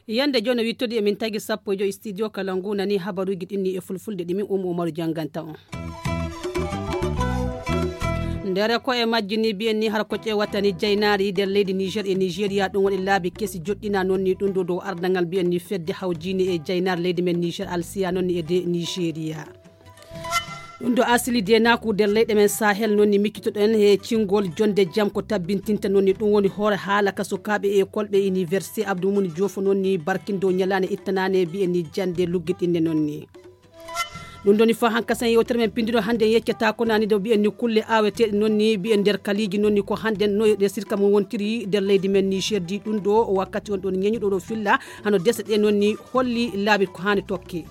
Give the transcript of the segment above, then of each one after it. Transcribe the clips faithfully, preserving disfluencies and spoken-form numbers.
Yande jono wittodi emin tagi sappo e joyi studio kala ngu nani habaruji ɗinni e fulfulde ɗimin umu umaru janganta on. Ndere ko e majji ni mbiyen ni har ko ƴewata ni jaynaari nder leydi niger e nigeria ɗum waɗi laabi kesi joɗɗina noon ni ɗum ɗo dow ardangal mbiyen ni fedde hawjini e jaynaari leydi men niger alsiya noon ni e de nigeria. Ɗum ɗo asili denaku nder leyɗe men sahel noon ni miccitoɗen e cingol jonde jam ko tabbintinta noon ni ɗum woni hoore haala ka sukaaɓe e kolɓe université abdou mumuni jofo noon ni barkindo ñalaande ittanande mbiyen ni jande luggiɗinne noon ni. Ɗum ɗoni fa hankasen yewtere men pindino hannde yeccata ko nani ɗo mbiyen ni kulle aweteɗe noon ni mbiyen nder kaliji noon ni ko hannde no resirka mum wontiri nder leydi men ni sherdi ɗum ɗo wakkati on ɗon ñeñuɗo ɗo filla hano dese ɗe noon ni holli laabi ko hani tokke.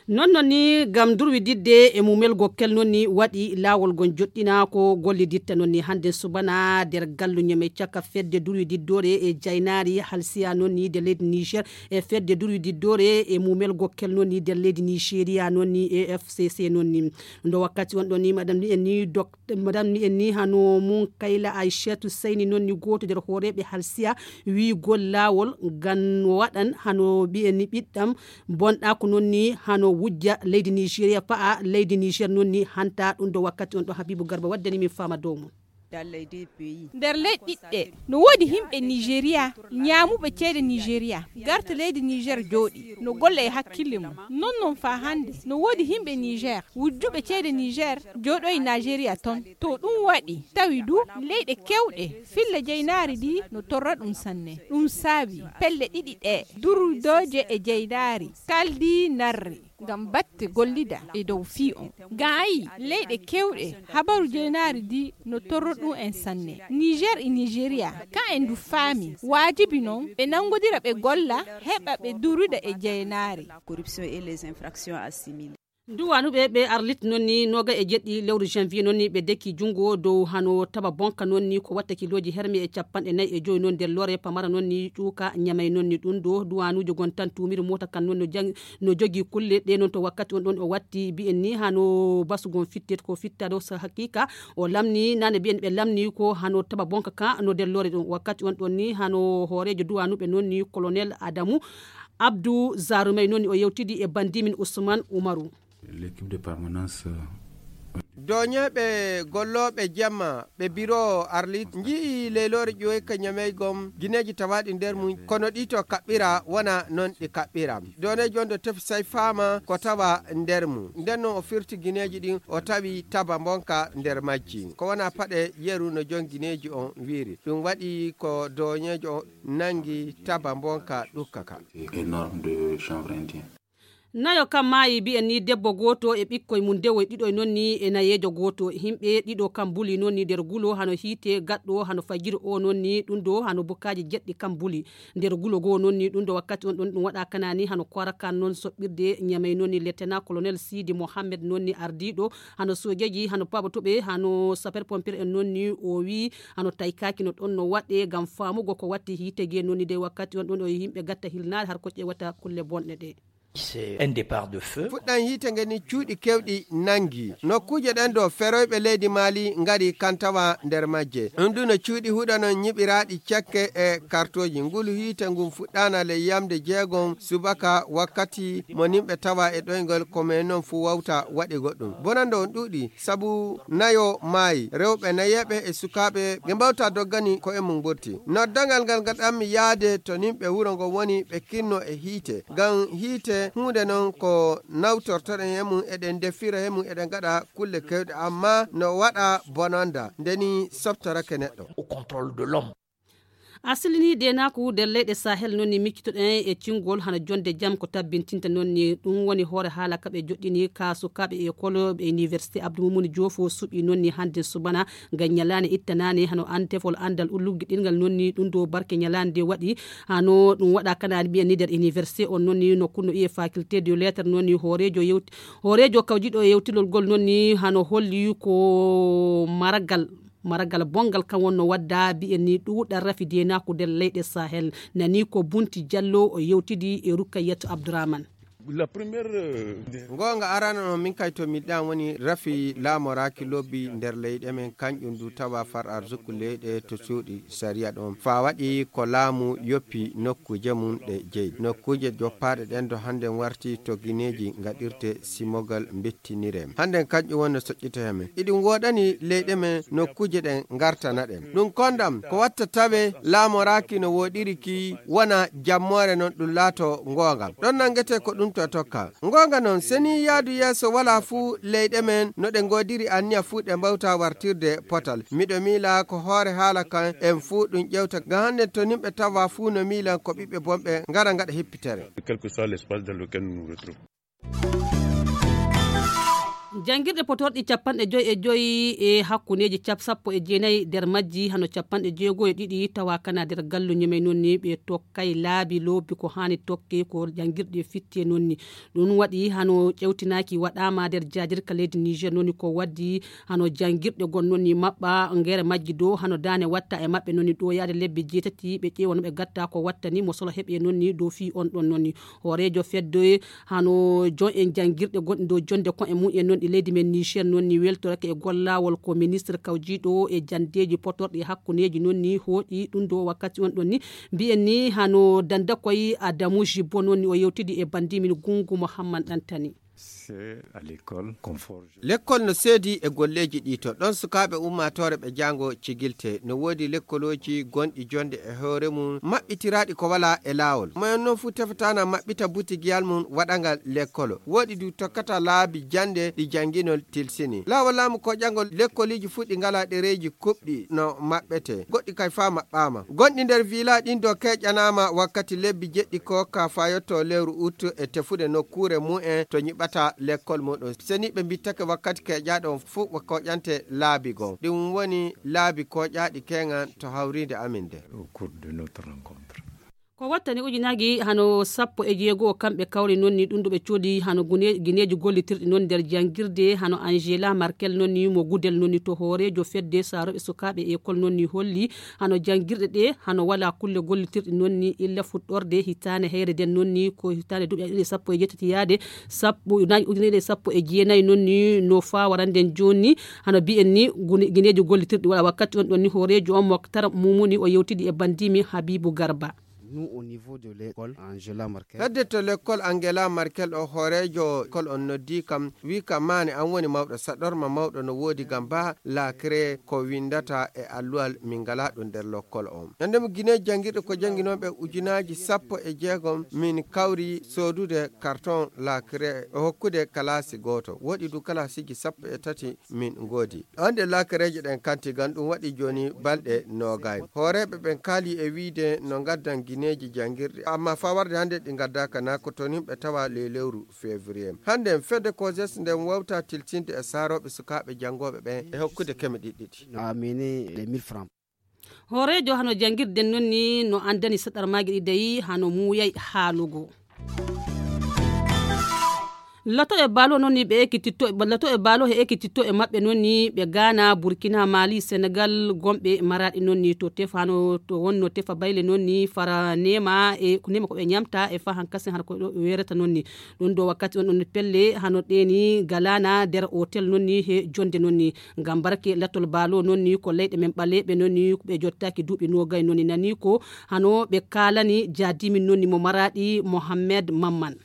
Non non ni gam durwididde e mumel gokkel non ni waɗi laawol gon joɗɗina ko golliditta non ni hannde subana nder galluñe men caka fedde durwididdoore e jaynaari halsiya non ni de leydi niger e fedde durwididdoore e mumel gokkel non ni nder leydi nigeria non ni e f c c non ni. Ndo wakkati on ɗon ni madame ni en ni dok madame ni en ni hano mun kayla aishatu sayni non ni gooto nder hooreeɓe halsiya wiigol laawol ngan waɗan hano mbiyen ni ɓiɗɗam bonɗa ko non ni hano wujja leydi nigeria fa'a leydi niger non ni hanta ɗum ɗo wakkati on ɗo habibu garba waddani min fama dow mum. Nder leyɗe ɗiɗɗe no woodi himɓe nigeria ñaamuɓe ceede nigeria garta leydi niger jooɗi no golla e hakkille mum. Non non faa hannde no woodi himɓe niger wujjuɓe ceede niger jooɗoyi nigeria ton. To ɗum waɗi tawi du leyɗe kewɗe filla jeynaari ndi no torra ɗum sanne. Ɗum saabi pelle ɗiɗi ɗe durudooje e jeynaari kaldi narri ngam batte gollida e dow fii on. Gaayi leyɗe kewɗe habaru jeynaari ndi no torro ɗum en sanne. Niger e nigeria ka en du faami waajibi non ɓe nanngodira ɓe golla heɓa ɓe duruda e jeynaari. Duwanuɓe ɓe arlit noon ni noga e jeɗɗi lewru janvier noon ni ɓe deki junngo dow hano taba bonka noon ni ko watta kiloji hermi e capanɗe nayi e joyi noon nder lore pamara noon ni ƴuuka ñamay noon ni ɗum ɗo duwanuji gon tan tumiri mota kan noon no jang no jogi kulle ɗe noon to wakkati on ɗon o watti mbiyen ni hano basugon fittet ko fitta ɗo so haqiqa o lamni nane mbiyen ɓe lamni ko hano taba bonka ka no nder lore ɗum wakkati on ɗon ni hano hoorejo duwanuɓe noon ni colonel adamu abdou zarumay noon ni o yewtidi e bandimin ousmane oumarou. L'équipe de permanence. Doñeeɓe gollooɓe jamma ɓe biro arlit nji'i leyloore ƴoyka ñamey gom gineeji tawaaɗi nder mum kono ɗi to kaɓɓira wona noon ɗi kaɓɓira. Doneeji on ɗo tefi say faama ko tawa nder mum nden noon o firti gineeji ɗin o tawi taba mbonka nder majji ko wona paɗe yeru no jon gineeji on wiiri ɗum waɗi ko doñeejo on nangi taba mbonka ɗukka ka. Énorme de chanvre indien. Nayo kam maayi mbiyen ni debbo gooto e ɓikkoy mum dewoy ɗiɗoy noon ni e nayeejo gooto yimɓe ɗiɗo kam mbuli noon ni nder gulo hano hiite gaɗɗo hano fajiri o noon ni ɗum ɗo hano bukkaaji jeɗɗi kam mbuli nder gulo goo noon ni ɗum ɗo wakkati on ɗon ɗum waɗa kana ni hano korakan noon soɓɓirde ñamey noon ni lieutenant colonel sidi mohammed noon ni ardiiɗo hano soojeeji hano paɓotoɓe hano sapeur pompier en noon ni o wii hano taykaaki no ɗon no waɗe ngam faamugo ko watti hiite gee noon ni dey wakkati on ɗon o yimɓe gatta hilnaade har ko ƴeewata kulle bonɗe ɗe. C'est un départ de feu. Fuɗɗan yiite nge ni cuuɗi kewɗi nangi nokkuuje ɗen ɗo feroyɓe leydi maali ngari kantawa nder majje ɗum ɗum no cuuɗi huɗano ñiɓiraaɗi cekke e kartooji ngulu yiite ngun fuɗɗaana ley yamde jeegom subaka wakkati mo nimɓe tawa e ɗoyngol ko men noon fuu wawta waɗi goɗɗum bonande on ɗuuɗi sabu nayo maayi rewɓe nayeeɓe e sukaaɓe ɓe mbawta doggani ko e mum ɓurti noddangal ngal ngaɗanmi yaade to nimɓe wuro ngo woni ɓe kinno e hiite ngam hiite huunde noon ko nawtortoɗen e mum eɗen ndefira e mum eɗen ngaɗa kulle kewɗe amma no waɗa bononda ndeni softorake neɗɗo. Au contrôle de l'homme. Asili ni denaku nder leyɗe sahel noon ni miccitoɗen e cingol hano jonde jam ko tabbintinta noon ni ɗum woni hoore haala kaɓe joɗɗini ka sukaaɓe e koloɓe université abdou mumuni jofo suɓi noon ni hannde subana ngam ñalaande ittanani hano an tefol anndal ullugge ɗingal noon ni ɗum ɗo barke ñalaande nde waɗi hano ɗum waɗa kanani mbiyen ni nder université on noon ni nokku no iye faculté de lettre noon ni hoorejo yewti hoorejo kawjiɗo e yewtilol ngol noon ni hano holli ko maragal Maragal bonngal kan wonno wadda bi'en ni ɗuuɗal rafi deenaaku nder leyɗe Sahel. Nani ko Bunti Jallo o yewtidi e Rukayyatu Abdourahmane. Goonga arana on min kay to miɗɗan woni rafi laamoraaki lobbi nder leyɗe men, kanƴum du tawa far arzuku leyɗe to cuuɗi sariya ɗon. Fa waɗi ko laamu yoppi nokkuuje mum ɗe jeyi. Nokkuuje joppaaɗe ɗen do hannden warti to gineeji ngaɗirte simogal mbettinire. Hannden kanƴum woni no soƴƴita he men. Iɗum woɗani leyɗe men nokkuuje ɗen ngartana ɗen. Ɗum kondam ko watta tawe laamoraaki no woɗiri ki wona jammoore non ɗum laato ngoonga. Ɗon nanngete ko ɗum to tokka. Ngoonga non, seni yaadu yeeso walaa fuu leyɗe men no ɗe ngoodiri anniya fuu ɗe mbawta wartirde potal. Miɗo miila ko hoore haala kan en fuu ɗum ƴewta. Ngam hannden to nimɓe tawa fuu no miilan ko ɓiɓɓe bonɓe ngara ngaɗa hippitere. Quel que soit l'espace dans lequel nous nous retrouvons. Janngirɗe potorɗi capanɗe joyi e joyi e hakkundeeji cap sappo e jeenayi nder majji hano capanɗe jeego e ɗiɗi tawa kana nder galluñe men noon ni ɓe tokkay laabi loobi ko haani tokke ko janngirɗe fitte noon ni. Ɗum waɗi hano ƴewtinaaki waɗaama nder jaadirka leydi Niger noon ni ko waddi hano janngirɗe gon noon ni maɓɓa ngere majji dow hano daane watta e maɓɓe noon ni ɗo yaade lebbi jeetati ɓe ƴeewa no ɓe gatta ko wattani mo solo heɓe noon ni dow fii on ɗon noon ni. Hooreejo fedde hano jon en janngirɗe gonɗi dow jonde kon e mum en noon ɗi leydi men Niger noon ni weltorake e gollawol ko ministre kawjiiɗo e jandeeji potorɗi e hakkundeeji noon ni hooƴi ɗum dow wakkati on ɗon ni mbiyen ni hano dandakoy Adamu Jibbo noon ni o yewtidi e bandimin Gungu Mohamman Ɗantani. C'est à l'école qu'on forge. Lekkol no seedi e golleeji ɗi to ɗon sukaaɓe ummaatoore ɓe jaango cigilte. No woodi lekkolooji gonɗi jonde e hoore mum maɓɓitiraaɗi ko walaa e laawol. Moyen noon fuu tefataana maɓɓita butigiyal mum waɗangal lekkolo. Woodi du tokkata laabi jannde ɗi jannginol tilsini. Laawol laamu ko ƴangol lekkoliiji fuu ɗi ngalaa ɗereeji kuɓɗi no maɓɓete. Goɗɗi kay faa maɓɓaama. Gonɗi nder vila ɗin do keƴanaama wakkati lebbi jeɗɗi ko ka fayotto lewru ut e tefude nokkuure mumen to nyiɓata lekkol muɗum. Seni ɓe mbittake wakkati keƴaaɗo on fuu ɓe koƴante laabi goo. Ɗum woni laabi koƴaaɗi keŋan to hawriinde amin nde. Au cours de notre rencontre. Ko wattani ujunaaji hano sappo e jeego kamɓe kawri noon ni ɗum ɗo ɓe coodi hano gune- gineeji gollitirɗi noon nder janngirde hano Angela Merkel noon ni mo gudel noon ni to hooreejo fedde saarooɓe sukaaɓe ekol noon ni holli hano janngirɗe ɗe hano walaa kulle gollitirɗi noon ni illa fuɗɗorde hitaande heyre nden noon ni ko hitaande duuɓi ɗiɗi sappo e jeetati yaade sappo ujunaaji ujunere sappo e jeenayi noon ni no faawarande jooni hano mbiyen ni gune- gineeji gollitirɗi walaa wakkati on ɗon ni hooreejo on Moktar Mumuni o yewtidi e bandiimi Habibu Garba. Nous au niveau de l'école Angela Merkel. Hedde to lekkol Angela Merkel o hooreejo kol on noddi kam wi kam maane an woni mawɗo saɗorma mawɗo no woodi gam ba laakre ko windata e alluwal min ngala ɗum nder lokkol on. Nande mo Guinée janngirɗe ko jannginooɓe ujunaaji sappo e jeegom min kawri soodude karton laakre e hokkude kalaasi gooto. Woɗi du kalaasiji sappo e tati min ngoodi. Ɗon ɗe laakareeje ɗen kanti gam ɗum waɗi jooni balɗe noogay. Hooreeɓe ɓen kaali e wiide no ngaddan gineeji janngirɗi, amma faa warde hannde ɗi ngaddaaka naa ko toon yimɓe tawa ley lewru février. Hannde en fedde COSES nden wawta tiltinde e saarooɓe sukaaɓe janngooɓe ɓen e hokkude keme ɗiɗi ɗiɗi. No amene les mille francs. Hooreejo hano janngirden noon ni no anndani saɗarmaaji ɗi dayi hano muuyay haalugo. Lato e baalo noon ni ɓe ekkititto lato e baalo he ekkititto e maɓɓe noon ni ɓe Gaana, Burkina, Mali, Senegal, gomɓe maraɗi noon ni to tefa hano to wonno tefa bayle noon ni fara nema e ko nema ko ɓe ñamta e fa hankasin hano ko ɗo ɓe werata noon ni. Ɗum ɗo wakkati on ɗon pelle hano ɗeni galana nder hotel noon ni he jonde noon ni. Ngam barke lattol baalo noon ni ko leyɗe men ɓaleeɓe noon ni ɓe jottaaki duuɓi noogay noon ni nani ko hano ɓe kaalani jaadimin noon ni mo maraɗi Mohammed Mamman.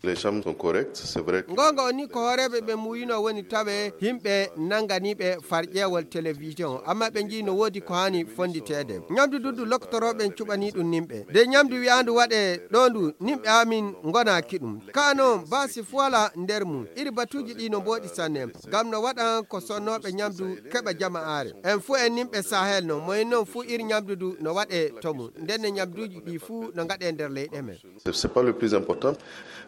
Les chambres sont correctes, c'est vrai que Ngonga o ni ko hooreeɓe ɓe muuyino woni tawe himɓe nanganiiɓe farƴeewol télévision, amma ɓe njii no woodi ko haani fonnditeede. Ñamdu duddu loktorooɓe en cuɓanii ɗum nimɓe. De ñamdu wi'aandu waɗee ɗo ndu nimɓe amin ngonaaki ɗum. Kaa noon baasi fuwala nder mum. Iri batuuji ɗi no mbooɗi sanne. Ngam no waɗan ko sonnooɓe ñamdu keɓa jama'aare. En fuu en nimɓe Sahel non, moyen non fuu iri ñamdu ndu no waɗee to mum. Ndenne ñamduuji ɗi fuu no ngaɗee nder leyɗe men. C'est, c'est pas le plus important.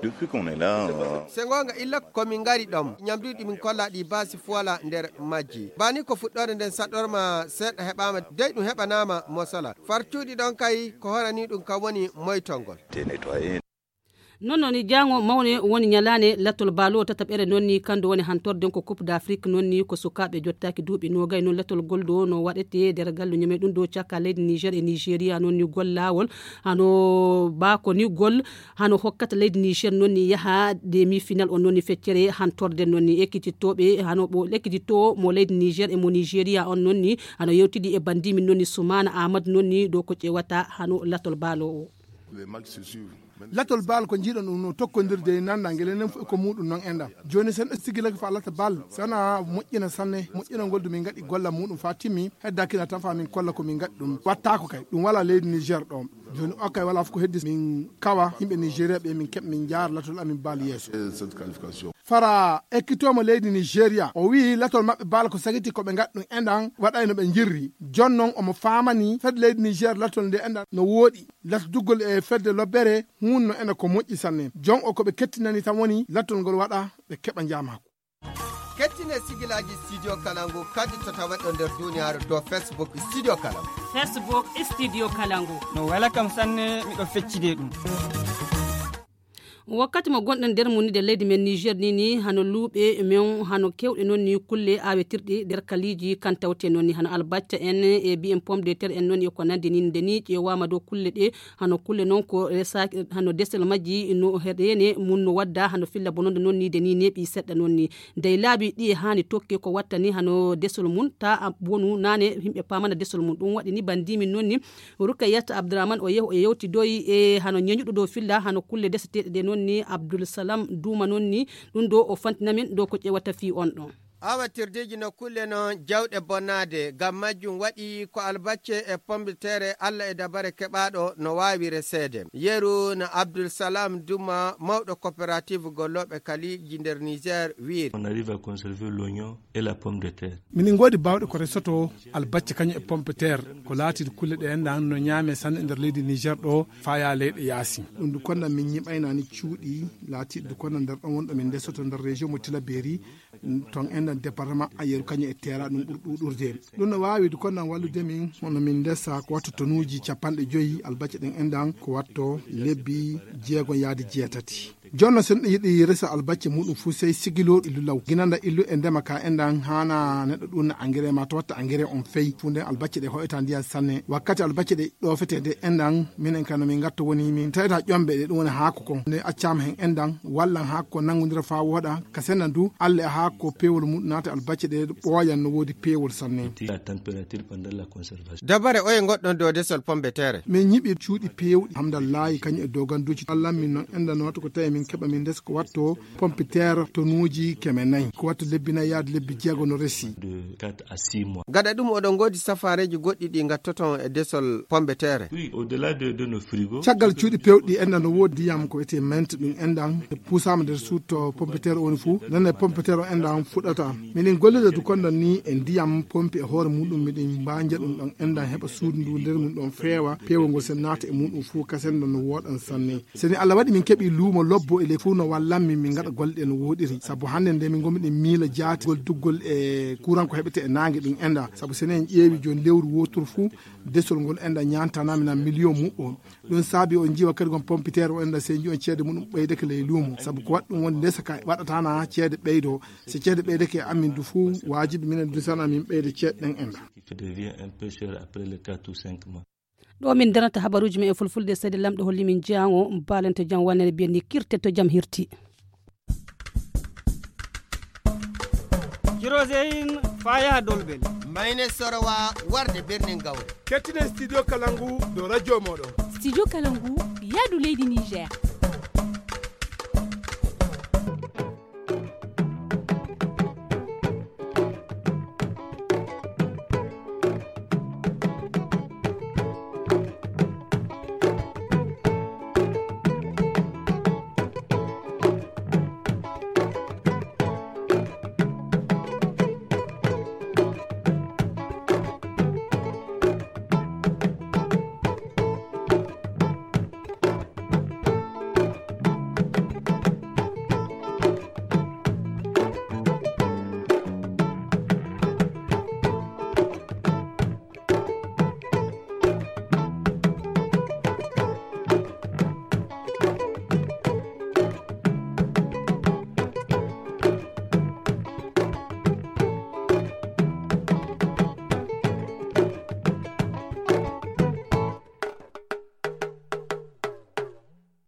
Depuis qu'on est là, euh, Se ngoonga illa ko min ngari ɗon, ñamduuji ɗi min kolla ɗi baasi fuwala nder majji. Bani ko fuɗɗoore nden saɗɗorma seeɗa heɓaama, dey ɗum heɓanaama mosala. Far cuuɗi ɗon kay ko horani ɗum kam woni moytol ngol. T'es nettoyé. Noon noon, jaango mawne woni ñalaande latol baaloo tataɓere noon ni, kanndo woni hantorde ko Coupe d'Afrique noon ni, ko sukaaɓe jottaaki duuɓi noogay noon latol gol ɗo no waɗetee nder gallu ñame ɗum ɗo caka leydi Niger e Nigeria noon ni gol laawol, hano baako ni gol, hano hokkata leydi Niger noon ni yaha demi final on noon ni feccere hantorde noon ni ekkititooɓe hano ɓo ekkititoo mo leydi Niger e mo Nigeria on noon ni hano yewtidi e bandimin noon ni Sumaana Ahmad noon ni ɗo ko ƴewata hano latol baaloo o. Latol bal ko njiɗon ɗum no tokkondirde e nanda ngel enen fof ko muɗum noon enɗam. Jooni sen ɗo sigilaki fa lata bal sana moƴƴina sanne, moƴƴina ngol ɗum min ngaɗi golla muɗum fa timmi, hedda kina tan fa min kolla ko min ngaɗi ɗum. Wattako kay, ɗum wala leydi Niger ɗo. Jooni o kay wala fof ko heddi min kawa yimɓe Nigeria ɓe min keɓ min jaar latol amin bal yeeso. Fara ekkitomo leydi Nigeria, o wi'i latol maɓɓe bal ko sagiti ko ɓe ngaɗi ɗum enɗam waɗayno ɓe jirri. Jon noon omo famani fed leydi Niger latol nde enɗam no woɗi. Latdugol e fedde lobbere hunno ena ko moƴƴi sanne. Jon o ko ɓe kettinani tan woni lattol ngol waɗa ɓe keɓa njaamako. Kettine sigilaaji Studio Kalangu kadi to tawatɗo nder duniyaaru to Facebook Studio Kalangu. Facebook Studio Kalangu. No wela kam sanne, miɗo feccide ɗum. Wakkati mo gonɗen nder mum ni de leydi men Niger ni ni hano luuɓe men hano kewɗe noon ni kulle awetirɗe nder kaliiji kan tawte noon ni hano albacca en e biyen pomme de terre en noon ni e ko nandi ni nde ni ƴeewama dow kulle ɗe hano kulle noon ko resaaki hano desel majji no heɗene mum no wadda hano filla bononde noon ni de ni neeɓi seɗɗa noon ni dey laabi ɗi e haani tokke ko watta ni hano desol mum ta a wonu nane yimɓe pamana desol mum ɗum waɗi ni bandimin noon ni Rukayat Abdourahmane o yew o yewtidoyi e hano ñeñuɗo dow filla hano kulle deseteɗe ɗe noon ni Abdoul Salam Douma noon ni ɗum ɗo o fantina min dow ko ƴewata fii on ɗon. Awatirdeeji no kulle no jawɗe bonnaade, ngam majjum waɗi ko albacce e pomme de terre Allah e dabare keɓaaɗo no waawi reseede. Yeru no Abdoul Salam Douma, mawɗo coopérative gollooɓe kaliiji nder Niger, wiiri. On arrive à conserver l'oignon et la pomme de terre. Minin ngoodi baawɗe ko resoto albacce kañum e pomme de terre, ko laatiiɗe kulle ɗe enɗan no ñaame sanne e nder leydi Niger ɗo, faya leyɗe yaasi. Ɗum du konda min ñiɓaynaani cuuɗi laatiiɗe du konda nder ɗon wonɗo min ndesoto nder région mo Tilaberi, ton enɗan département Ayeru kañum e Teera ɗum ɓuri ɗuuɗurde. Ɗum no waawi du konda wallude min hono min ndesa ko watto tonuuji capanɗe joyi albacce ɗen enɗan ko watto lebbi jeegon yaade jeetati. Jonno sen ɗo yiɗi resa albacce muɗum fuu sey sigilooɗo illu law. Ginanda illu e ndema ka enɗan haana neɗɗo ɗum engrais ma to watta engrais on fey. Fuu nden albacce ɗe hoyta ndiyan sanne. Wakkati albacce ɗe ɗoofete nde enɗan minen kano min ngatto woni min taweta ƴombe ɗe ɗum woni haako kon. Nde accama hen enɗan wallan haako kon nangondira faa wooɗa. Ka senna du alle e haako ko peewol muɗum naata albacce ɗe ɓooyan no woodi peewol sanne. La température pendant la conservation. Dabare oye goɗɗon dow desol pomme de terre? Min ñiɓi cuuɗi peewɗi, hamdallahi, kañum e doganduuji. Allan min noon enɗan no wattu ko tawi min keɓa min ndesa ko watto pomme de terre tonuuji keme nayi. Ko watto lebbi nayi yaade lebbi jeego no resi. De quatre à six mois. Gaɗa ɗum oɗon ngoodi safaareeji goɗɗi ɗi ngattoton e desol pomme de terre? Oui, au-delà de, de nos frigos. Caggal cuuɗi peewɗi enɗan no woodi ndiyam ko wiyetee mente ɗum enɗan puusaama nder suuto pomme de terre woni fuu. Noon e pomme de terre o enɗan fuɗata. Minin gollida du kondan ni e ndiyam pompi e hoore muɗum miɗen mbaanja ɗum ɗon enɗan heɓa suudu ndu nder mum ɗon feewa peewol ngol sen naata e muɗum fuu kasen ɗon no wooɗan sanne. Seni Allah waɗi min keɓi luumo lobbo e ley fuu no wallan min min ngaɗa golle ɗe no wooɗiri. Sabu hannde nde min ngomi ɗen miila jaati gol duggol e kuuran ko heɓete e naange ɗum enɗan. Sabu seni en ƴeewi jooni lewru wooturu fuu desol ngol enɗan ñaantana min a miliyon muɓɓo. Ɗum saabi on njiiwa kadi gon pompiteer o enɗan sey njiyon ceede muɗum ɓeydake ley luumo. Sabu ko waɗi ɗum woni ndesa ka waɗatana ceede ɓeydo. So ceede ɓeydake e amin du fuu waajibi minen du sana min ɓeyda ceede ɗen enɗan. Qui devient un peu cher après les quatre ou cinq mois. Ɗo min darata habaruuji men e fulfulde seede lamɗo holli min jeyango mbaalante jam wannere mbiyen ni kirte to jam hirti. Kiroseyin faa yaha Dolbel. Mayne Sorowa warde birnin Gawri. Kettinen Studio Kalangu dow radio mooɗon. Studio Kalangu yaadu leydi Niger.